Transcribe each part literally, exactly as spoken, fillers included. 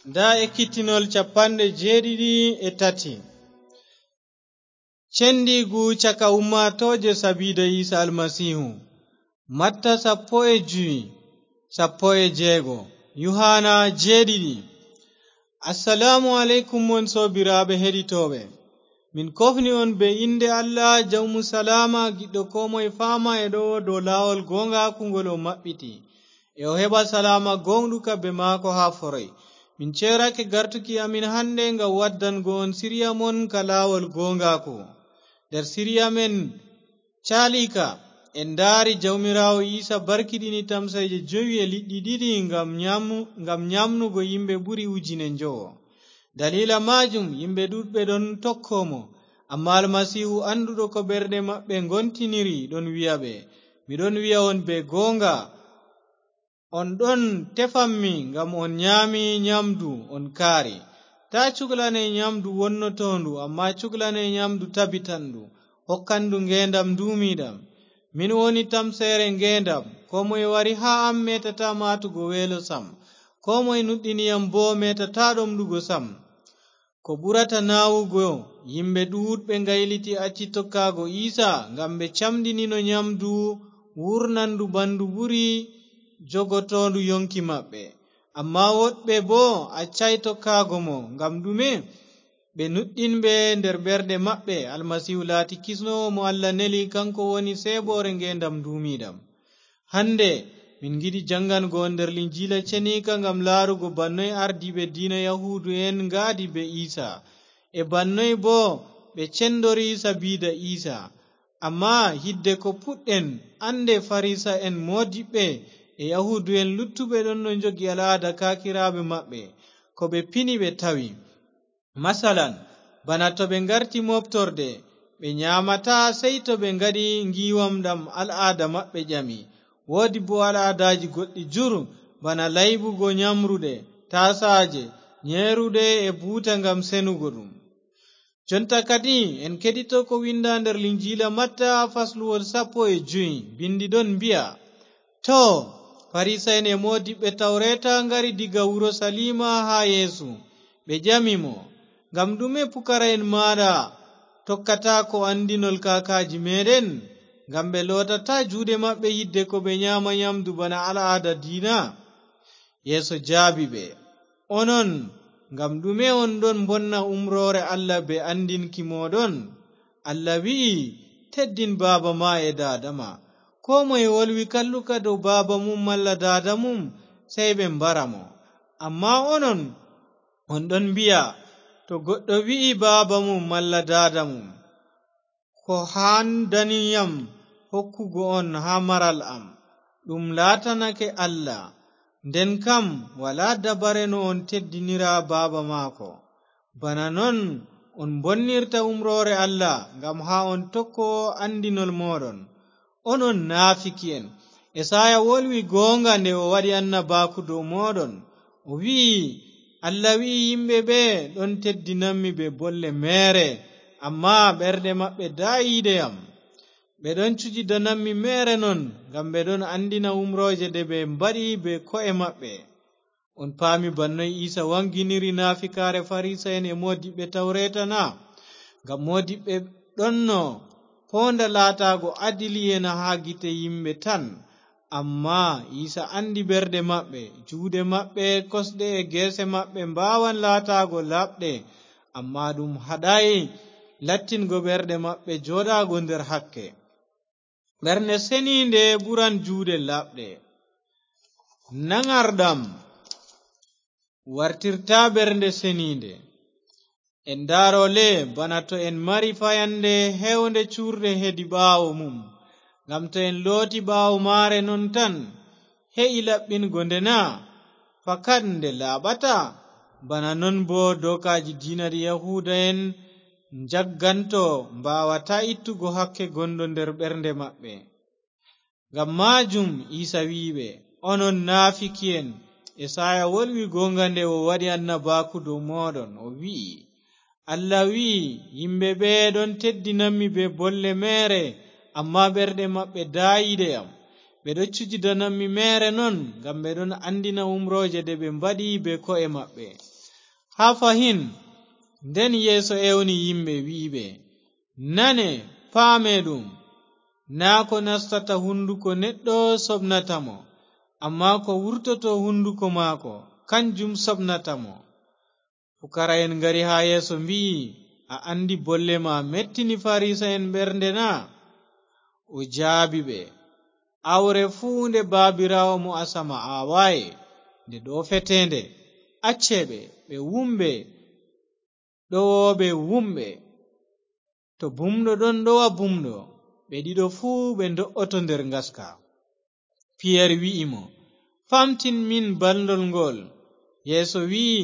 Nda ekkitinol capanɗe jeeɗiɗi e tati. Cendiigu caka ummaatooje sabiida Iisa Almasiihu. Matta sappo e jowi, sappo e jeego. Yuhaana jeeɗiɗi. Assalaamu aleykum, mon soobiraaɓe heɗitooɓe. Min kofni on be innde Allah, Jawmu Salaama, giɗɗo koo moye faama e ɗo dow laawol gooŋgaaku ngol o maɓɓiti. E o heɓa salaama gooŋɗuka be maako haa foroy. Min ceerake gartuki amin hande ngam waddango on siriya mon ka laawol gooŋgaaku. Nder siriya men caaliika, en ndaari Jawmiraawo Iisa barkiɗini tamseeje jowi e liɗɗi ɗiɗi ngam nyaamu-, ngam nyaamnugo yimɓe ɓuri ujine njowo. Daliila maajum yimɓe ɗuuɗɓe ɗon tokko mo. Ammaa Almasiihu annduɗo ko ɓerɗe maɓɓe ngontiniri ɗon wi'a ɓe, "Mi ɗon wi'a on bee gooŋga, on ɗon tefammi ngam on nyaami nyaamdu, on kaari. Taa cuklane nyaamdu wonnotoondu, ammaa cuklane nyaamdu tabitandu, hokkandu ngeendam nduumiiɗam. Min woni tamseere ngeendam. Koo moye wari haa am meetataa maatugo weelo sam. Koo moye nuɗɗini yam boo meetataa ɗomɗugo sam." Ko ɓurata naawugo, yimɓe ɗuuɗɓe ngayliti acci tokkaago Iisa, ngam ɓe camɗinino nyaamdu wuurnandu ɓandu ɓuri jogotoondu yonki maɓɓe. Ammaa woɗɓe boo accaay tokkaago mo. Ngam ɗume? Ɓe nuɗɗinɓe nder ɓerɗe maɓɓe, Almasiihu laati kisnoowo mo Allah neli, kaŋko woni seeɓoore ngeendam nduumiiɗam. Hande, min ngiɗi jaŋgango on nder Linjiila Ceniika ngam laarugo bannoy ardiiɓe diina Yahuudu'en ngaadi bee Iisa, e bannoy boo ɓe cendori sabiida Iisa. Ammaa hidde ko puɗɗen, ande Farisa'en moodiɓɓe e Yahuudu'en luttuɓe ɗon no njogi al'aada kaakiraaɓe maɓɓe, ko ɓe pini ɓe tawi. Masalan, bana to ɓe ngarti mooɓtorde, ɓe nyaamataa sey to ɓe ngaɗi ngiiwam ɗam al'aada maɓɓe ƴami. Woodi boo al'aadaaji goɗɗi jur, bana layɓugo nyamruɗe, taasaaje, nyeeruɗe e buuta ngam senugo ɗum. Jonta kadi en keɗito ko winda nder Linjiila Matta fasluwol sappo e jowi, bindi ɗon mbi'a, "Too, Farisa'en e moodiɓɓe Tawreeta ngari diga Urusaliima haa Yeesu. Ɓe ƴami mo, 'Ngam ɗume pukara'en maaɗa tokkataako anndinol kaakaaji meeɗen?' Ngam ɓe lootataa juuɗe maɓɓe yidde ko ɓe nyaama nyamdu bana al'aada diina." Yeesu jaabi ɓe, "Onon, ngam ɗume on ɗon mbonna umroore Allah bee anndinki mooɗon? Allah wi'i, 'Teddin baaba ma e daada ma.' Koo moye wolwi kalluka dow baaba mum malla daada mum, sey ɓe mbara mo. Ammaa onon, on ɗon mbi'a, 'To goɗɗo wi'i baaba mum malla daada mum, "Ko haandani yam hokkugo on haa maral am?" Ɗum laatanake Allah. Nden kam, walaa dabare no on teddinira baaba maako. Bana non on mbonnirta umroore Allah, ngam haa on tokko anndinol mooɗon. Onon naafiki'en! Esaaya wolwi gooŋga nde o waɗi annabaaku dow mooɗon. O wi'i, 'Allah wi'i yimɓe ɓe ɗon teddinammi bee bolle meere, ammaa ɓerɗe maɓɓe daayiiɗe yam. Ɓe ɗon cujidanammi meere non, ngam ɓe ɗon anndina umrooje ɗe ɓe mbaɗi bee ko'e maɓɓe.'" On paami bannoy Iisa waŋginiri naafikaare Farisa'en e moodiɓɓe Tawreeta na? Ngam moodiɓɓe ɗonno poonda laataago adili'en haa gite yimɓe tan. Ammaa Iisa anndi ɓerɗe maɓɓe, juuɗe maɓɓe, kosɗe e geese maɓɓe mbaawan laataago laaɓɗe, ammaa ɗum haɗaay lattingo ɓerɗe maɓɓe jooɗaago nder hakke. Ɓernde seniinde ɓuran juuɗe laaɓɗe. Naŋarɗam wartirtaa ɓernde seniinde. En ndaaro le, bana to en mari fayande heewnde cuurɗe hedi ɓaawo mum, ngam to en looti ɓaawo maare non tan, he'i laɓɓingo nde na? Fakat nde laaɓata. Bana non boo dookaaji diina ɗi Yahuuda'en njagganto mbaawataa ittugo hakke gonɗo nder ɓernde maɓɓe. Ngam maajum Iisa wi'i ɓe, "Onon naafiki'en, Esaaya wolwi gooŋga nde o waɗi annabaaku dow mooɗon, o wi'i, 'Allah wi'i, yimɓe ɓe ɗon teddinammi bee bolle meere, ammaa ɓerɗe maɓɓe daayiiɗe yam. Ɓe ɗon cujidanammi meere non, ngam ɓe ɗon anndina umrooje ɗe ɓe mbaɗi bee ko'e maɓɓe.'" Haa fahin, nden Yeesu ewni yimɓe, wi'i ɓe, "Nane, paamee ɗum, naa ko nastata hunduko neɗɗo soɓnata mo, ammaa ko wurtoto hunduko maako, kanjum soɓnata mo." Pukara'en ngari haa Yeesu, mbi'i, "A anndi bolle ma mettini Farisa'en ɓernde na?" O jaabi ɓe, "Aawre fuu nde Baabiraawo mo asama aawaayi, nde ɗo feteende. Accee ɓe, ɓe wumɓe, ɗowooɓe wumɓe. To bumɗo ɗon ɗowa bumɗo, ɓe ɗiɗo fuu ɓe ndo'oto nder ngaska." Piyer wi'i mo, "Famtin min balndol ngol." Yeesu wi'i,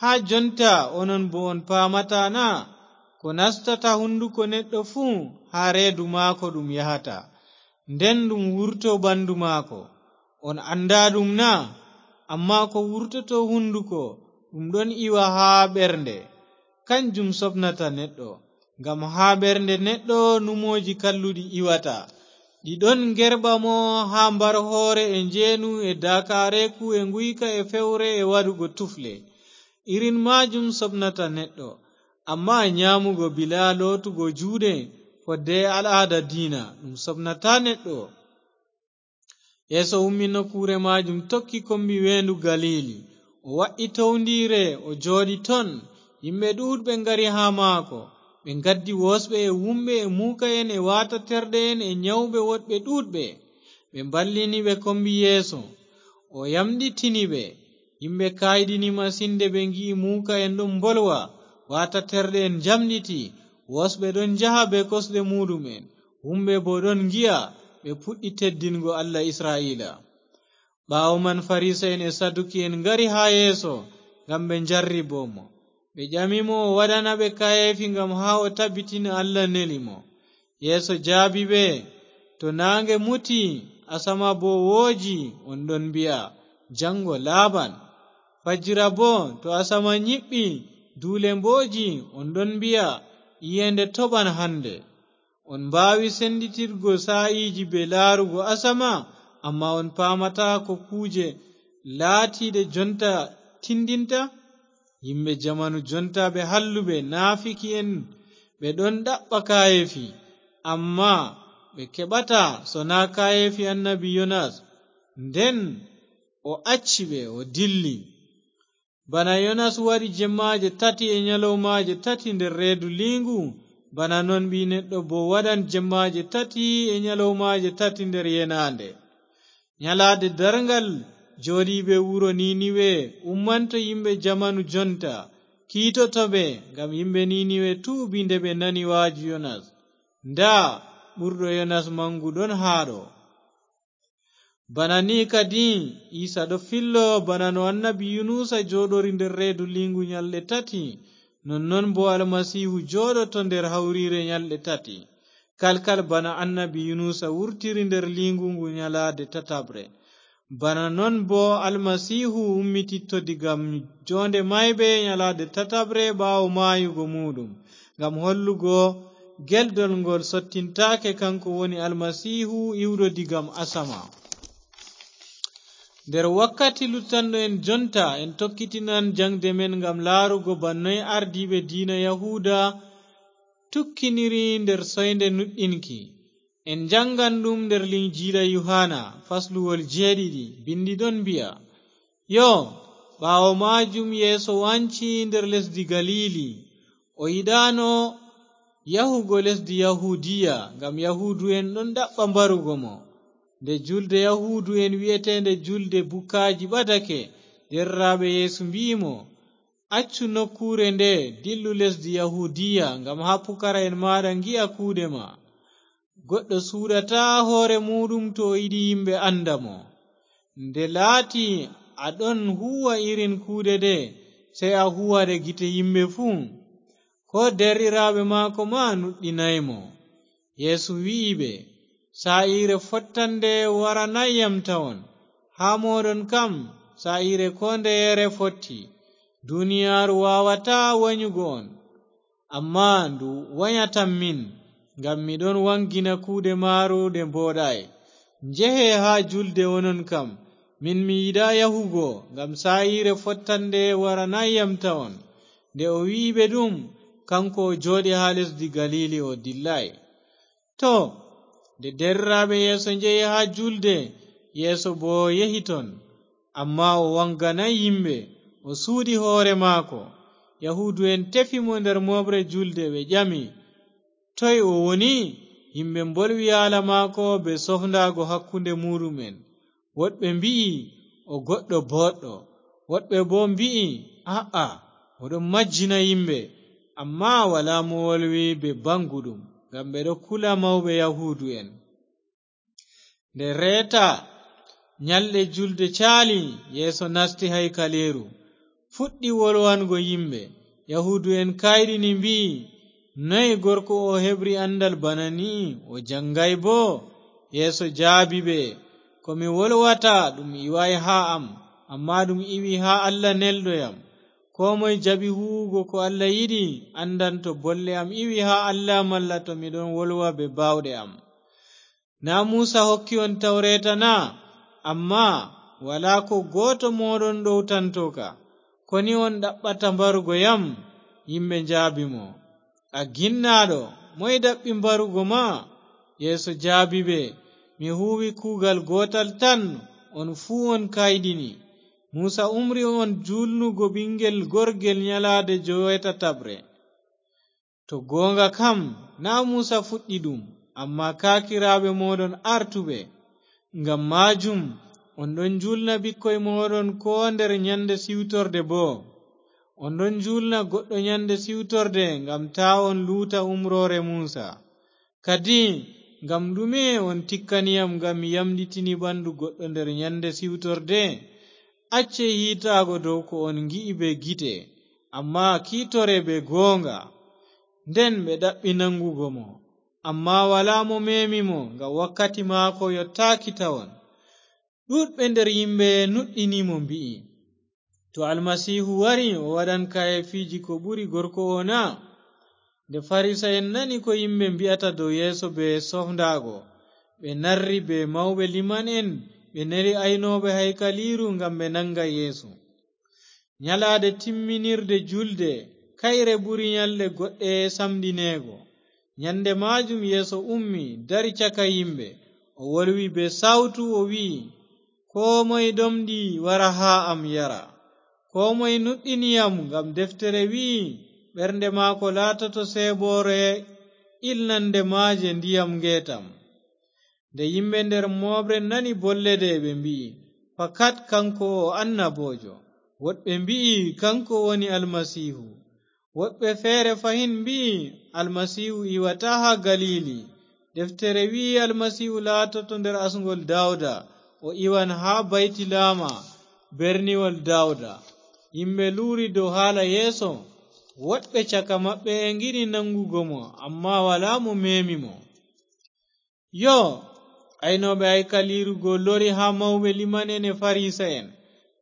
"Haa jonta onon boo on paamataa na? Ko nastata hunduko neɗɗo fuu, haa reedu maako ɗum yahata, nden ɗum wurto ɓandu maako. On anndaa ɗum na? Ammaa ko wurtoto hunduko, ɗum ɗon iwa haa ɓernde. Kanjum soɓnata neɗɗo, ngam haa ɓernde neɗɗo numooji kalluɗi iwata. Ɗi ɗon ngerɓa mo haa mbar hoore e njeenu e daakaareeku e nguyka e fewre e waɗugo tufle. Irin maajum soɓnata neɗɗo. Ammaa nyaamugo bilaa lootugo juuɗe fodde e al'aada diina, ɗum soɓnataa neɗɗo." Yeesu ummi nokkuure maajum, tokki kombi weendu Galiili. O wa'i towndiire, o jooɗi ton. Yimɓe ɗuuɗɓe ngari haa maako. Ɓe ngaddi woosɓe e wumɓe e muuka'en e waataterɗe'en e nyawɓe woɗɓe ɗuuɗɓe. Ɓe mballini ɓe kombi Yeesu. O yamɗitini ɓe. Yimɓe kayɗini masin nde ɓe ngi'i muuka'en ɗon mbolwa, waataterɗe'en njamɗiti, woosɓe ɗon njaha bee kosɗe muuɗum'en, wumɓe boo ɗon ngi'a, ɓe puɗɗi teddingo Allah Isra'iila. Ɓaawo man Farisa'en e Saduki'en ngari haa Yeesu ngam ɓe njarribo mo. Ɓe ƴami mo o waɗana ɓe kayeefi ngam haa o tabbitina Allah neli mo. Yeesu jaabi ɓe, "To naange muti, asama boo wooji, on ɗon mbi'a, 'Jaŋgo laaɓan.' Fajira boo, to asama nyiɓɓi, duule mbooji, on ɗon mbi'a, 'Iyeende toɓan hande.' On mbaawi senditirgo saa'iiji bee laarugo asama, ammaa on paamataa ko kuuje laatiiɗe jonta tindinta? Yimɓe jamanu jonta ɓe halluɓe, naafiki'en, ɓe ɗon ɗaɓɓa kaayeefi, ammaa ɓe keɓataa, sonaa kaayeefi annabi Yonas. Nden o acci ɓe, o dilli. Bana Yonas waɗi jemmaaje tati e nyalawmaaje tati nder reedu liingu, bana non Ɓii Neɗɗo boo waɗan jemmaaje tati e nyalawmaaje tati nder yenaande. Nyalaade darŋgal, jooɗiiɓe wuro Niniwe ummanto yimɓe jamanu jonta, kiitoto ɓe, ngam yimɓe Niniwe tuubi nde ɓe nani waaju Yonas. Ndaa, ɓurɗo Yonas maŋgu ɗon haa ɗo. Bana ni kadi, Iisa ɗo fillo, bana no annabi Yunusa jooɗori nder reedu liingu nyalɗe tati, nonnon boo Almasiihu jooɗoto nder hawriire nyalɗe tati. Kalkal bana annabi Yunusa wurtiri nder liingu ngu nyalaade tataɓre, bana non boo Almasiihu ummititto diga joonde maayɓe nyalaade tataɓre ɓaawo maayugo muuɗum, ngam hollugo gelɗol ngol sottintaake, kanko woni Almasiihu iwɗo diga asama. Nder wakkati luttanɗo en jonta, en tokkitinan jaŋde men ngam laarugo bana noy ardiiɓe diina Yahuuda tukkiniri nder soynde nuɗɗinki. En jaŋgan ɗum nder Linjiila Yuhaana, fasluwol jeeɗiɗi, bindi ɗon mbi'a, yo, ɓaawo maajum Yeesu wanci nder lesdi Galiili. O yiɗaano yahugo lesdi Yahuudiya, ngam Yahuudu'en ɗon ɗaɓɓa mbarugo mo. Nde julde Yahuudu'en wi'eteende Julde Bukaaji ɓadake, deerɗiraaɓe Yeesu mbi'i mo, "Accu nokkuure nde, dillu lesdi Yahuudiya, ngam haa pukara'en maaɗa ngi'a kuuɗe ma." Goɗɗo suuɗataa hoore muuɗum to o yiɗi yimɓe annda mo. Nde laati a ɗon huuwa irin kuuɗe ɗe, sey a huuwa ɗe gite yimɓe fuu. Koo deerɗiraaɓe maako maa nuɗɗinaay mo. Yeesu wi'i ɓe, "Saa'iire fottannde waranaay yam tawon. Haa mooɗon kam, saa'iire koo ndeyere fotti. Duniyaaru waawataa wanyugo on, ammaa ndu wanyatam min, ngam mi ɗon waŋgina kuuɗe maaru ɗe mbooɗaay. Njehe haa julde onon kam, Min mi yiɗaa yahugo, ngam saa'iire fottannde waranaay yam tawon. Nde o wi'i ɓe ɗum, kanko o jooɗi haa lesdi Galiili, o dillaay. Too, nde deerɗiraaɓe Yeesu njehi haa juulde, Yeesu boo yehi ton. Ammaa o waŋganaay yimɓe, o suuɗi hoore maako. Yahuudu'en tefi mo nder mooɓre juulde, ɓe ƴami, "Toy o woni?" Yimɓe mbolwi haala maako bee sofndaago hakkunde muuɗum'en. Woɗɓe mbi'i, "O goɗɗo booɗɗo." Woɗɓe boo mbi'i, "A'a, o ɗon majjina yimɓe." Ammaa walaa mo wolwi bee baŋguɗum, ngam ɓe ɗon kula mawɓe Yahuudu'en. Nde reeta nyalɗe juulde caali, Yeesu nasti haykaliiru, fuɗɗi wolwango yimɓe. Yahuudu'en kayɗini, mbi'i, "Noy gorko o heɓri anndal bana ni? O jaŋgaay boo?" Yeesu jaabi ɓe, "Ko mi wolwata ɗum iwaay haa am, ammaa ɗum iwi haa Allah nelɗo yam. Koo moy jaɓi huuwugo ko Allah yiɗi, anndan to bolle am iwi haa Allah malla to mi ɗon wolwa bee baawɗe am. Naa Muusa hokki on Tawreeta na? Ammaa walaa koo gooto mooɗon ɗowtanto ka. Koni on ɗaɓɓata mbarugo yam?" Yimɓe njaabi mo, "A ginnaaɗo, moy ɗaɓɓi mbarugo ma?" Yeesu jaabi ɓe, "Mi huuwi kuugal gootal tan, on fuu on kayɗini. Muusa umri on juulnugo ɓiŋgel gorgel nyalaade joweetataɓre. To gooŋga kam, naa Muusa fuɗɗi ɗum, ammaa kaakiraaɓe mooɗon aartuɓe. Ngam maajum on ɗon njuulna ɓikkoy mooɗon koo nder nyande siwtorde boo. On ɗon njuulna goɗɗo nyande siwtorde ngam taa on luuta umroore Muusa. Kadi, ngam ɗume on tikkani yam ngam mi yamɗitini ɓandu goɗɗo nder nyande siwtorde? Acce hiitaago dow ko on ngi'i bee gite, ammaa kiitore bee gooŋga." Nden ɓe ɗaɓɓi naŋgugo mo, ammaa walaa mo meemi mo, ngam wakkati maako yottaaki tawon. Ɗuuɗɓe nder yimɓe nuɗɗini mo, mbi'i, "To Almasiihu wari, o waɗan kayeefiiji ko ɓuri gorko o na?" Nde Farisa'en nani ko yimɓe mbi'ata dow Yeesu bee sofndaago, ɓe narri bee mawɓe liman'en, ɓe neli aynooɓe haykaliiru ngam ɓe naŋga Yeesu. Nyalaade timminirde julde, kayre ɓuri nyalɗe goɗɗe samɗineego. Nyande maajum Yeesu ummi, dari caka yimɓe. O wolwi bee sawtu, o wi'i, "Koo moy ɗomɗi, wara haa am, yara. Koo moy nuɗɗini yam," ngam deftere wi'i, "Ɓernde maako laatoto seeboore ilnande maaje ndiyam ngeetam." Nde yimɓe nder mooɓre nani bolle ɗe, ɓe mbi'i, "Fakat kanko o annaboojo." Woɗɓe mbi'i, "Kanko woni Almasiihu." Woɗɓe feere fahin mbi'i, "Almasiihu iwata haa Galiili." Deftere wi'i, "Almasiihu laatoto nder asŋgol Dawda, o iwan haa Baytilaama, berniwol Dawda." Yimɓe luuri dow haala Yeesu. Woɗɓe caka maɓɓe e ngiɗi naŋgugo mo, ammaa walaa mo meemi mo. Yoo, aynooɓe haykaliiru go lori haa mawɓe liman'en e Farisa'en.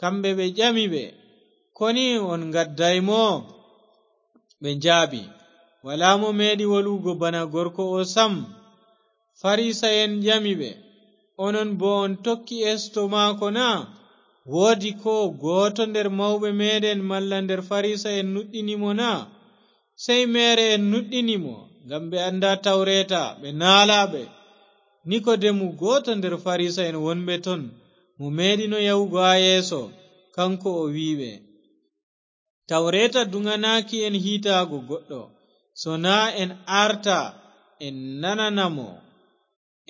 Kamɓe ɓe ƴami ɓe, "Koni on ngaddaay mo?" Ɓe njaabi, "Walaa mo meeɗi wolwugo bana gorko o sam." Farisa'en ƴami ɓe, "Onon boo on tokki esto maako na? Woodi koo gooto nder mawɓe meeɗen malla nder Farisa'en nuɗɗini mo na?" Sey meere'en nuɗɗini mo, ngam ɓe anndaa Tawreeta, ɓe naalaaɓe. Nikodemu, gooto nder Farisa'en wonɓe ton, mo meeɗino yahugo haa Yeesu, kaŋko o wi'i ɓe, "Tawreeta duŋanaaki en hiitaago goɗɗo, sonaa en aarta, en nanana mo,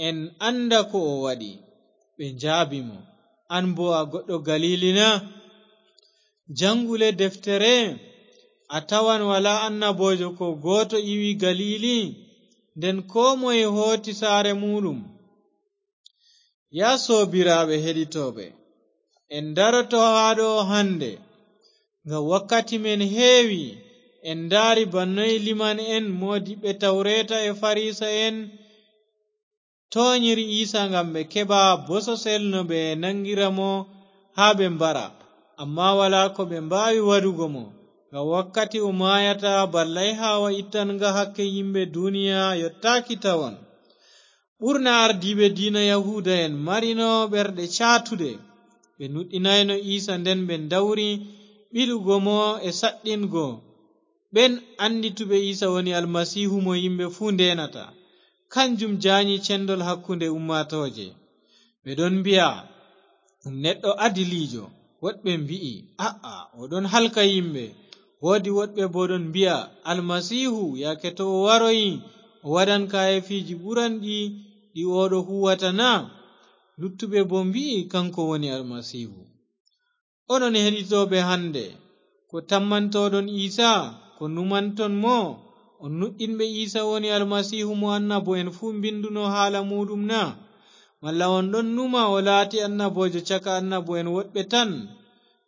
en annda ko o waɗi." Ɓe njaabi mo, "An boo a goɗɗo Galiili na? Jaŋgu le deftere, a tawan walaa annaboojo koo gooto iwi Galiili, nden koo moye hooti saare muuɗum." Yaa soobiraaɓe heɗitooɓe, en ndaroto haa ɗo hannde, ngam wakkati men heewi. En ndaari bana noy liman'en, moodiɓɓe Tawreeta e Farisa'en toonyiri Iisa ngam ɓe keɓa bososel no ɓe naŋgira mo haa ɓe mbara. Ammaa walaa ko ɓe mbaawi waɗugo mo, ngam wakkati o maayata, ballayhaawa ittanga hakke yimɓe duniya yottaaki tawon. Ɓurna ardiiɓe diina Yahuuda'en marino ɓerɗe caatuɗe. Ɓe nuɗɗinayno Iisa, nden ɓe ndawri ɓilugo mo e saɗɗingo. Ɓen anndituɓe Iisa woni Almasiihu mo yimɓe fuu ndeenata, kanjum jaanyi cendol hakkunde ummaatooje. Ɓe ɗon mbi'a, "Ɗum neɗɗo adiliijo." Woɗɓe mbi'i, "A'a, o ɗon halka yimɓe." Woodi woɗɓe boo ɗon mbi'a, "Almasiihu, yaake to o waroyi, o waɗan kaayeefiiji ɓuranɗi ɗi oo ɗo huwata na?" Luttuɓe boo mbi'i, "Kanko woni Almasiihu." Onon heɗitooɓe hannde, ko tammantooɗon Iisa? Ko numanton mo? On nuɗɗinɓe Iisa woni Almasiihu mo annabo'en fuu mbinduno haala muuɗum na? Malla on ɗon numa o laati annaboojo caka annabo'en woɗɓe tan?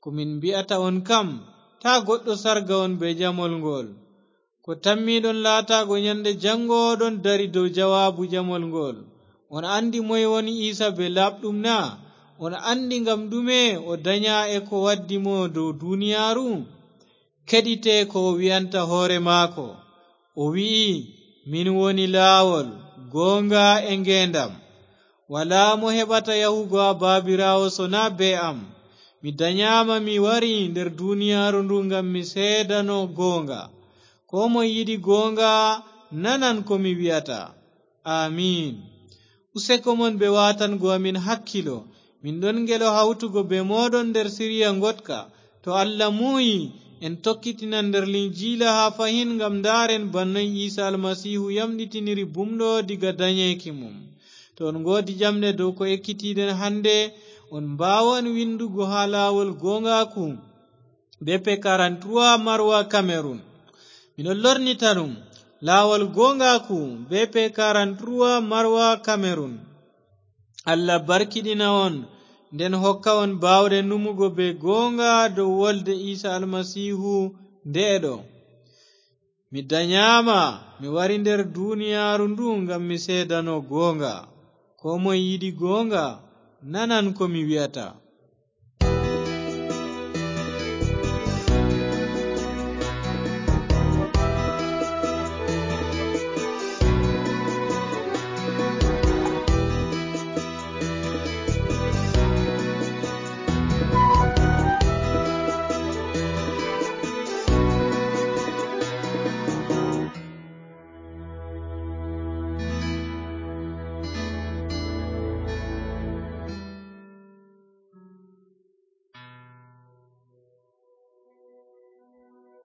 Ko min mbi'ata on kam, taa goɗɗo sarga on bee jamol ngo'ol. Ko tammiiɗon laataago nyannde janngo, oɗon dari dow jawaabu jamol ngo'ol. On anndi moy woni Iisa bee laaɓɗum na? On anndi ngam ɗume o danyaa e ko waddi mo dow duniyaaru? Keɗite ko o wi'anta hoore maako. O wi'i, "Min woni laawol, gooŋga e ngeendam. Walaa mo heɓata yahugo haa Baabiraawo sonaa bee am. Mi danyaama mi wari nder duniyaaru ndu ngam mi seedano gooŋga. Koo moy yiɗi gooŋga nanan ko mi wi'ata." Aamiin. Useko mon bee waatango amin hakkilo. Min ɗon ngelo hawtugo bee mooɗon nder siriya ngoɗka. To Allah muuyi, en tokkitinan nder Linjiila haa fahin ngam ndaaren bana noy Iisa Almasiihu yamɗitiniri bumɗo diga danyeeki mum. To on ngoodi ƴamɗe dow ko ekkitiiɗen hannde, on mbaawan winndugo haa laawol gooŋgaaku, B P quarante-trois, Maroua, Cameroun. Miɗo lornita ɗum, laawol gooŋgaaku, B P quarante-trois, Maroua, Cameroun. Allah barkiɗina on, nden hokka on baawɗe numugo bee gooŋga dow wolde Iisa Almasiihu nde'e ɗo. Mi danyaama, mi wari nder duniyaaru ndu ngam mi seedano gooŋga. Koo moy yiɗi gooŋga, nanan ko mi wi'ata.